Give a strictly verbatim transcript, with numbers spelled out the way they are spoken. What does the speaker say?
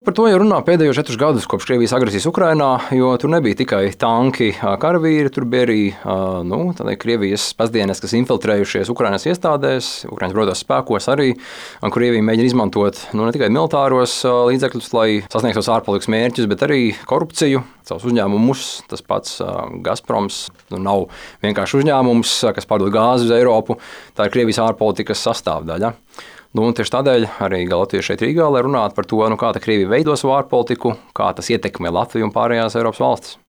Par to jau runā pēdējos četrus gadus kopš Krievijas agresijas Ukrainā, jo tur nebija tikai tanki, karavīri, tur bija arī nu, Krievijas pazdienas, kas infiltrējušies Ukrainas iestādēs, Ukrainas bruņotajos spēkos arī, un Krievija mēģina izmantot nu, ne tikai militāros līdzekļus, lai sasniegtu savus ārpolitikas mērķus, bet arī korupciju, savus uzņēmumus. Tas pats Gazproms nu, nav vienkārši uzņēmums, kas pārdod gāzi uz Eiropu, tā ir Krievijas ārpolitikas sastāvdaļa. Nu, tieši tādēļ arī Latvija šeit Rīgā, lai runātu par to, nu, kā Krievija veido savu ārpolitiku, kā tas ietekmē Latviju un pārējās Eiropas valstis.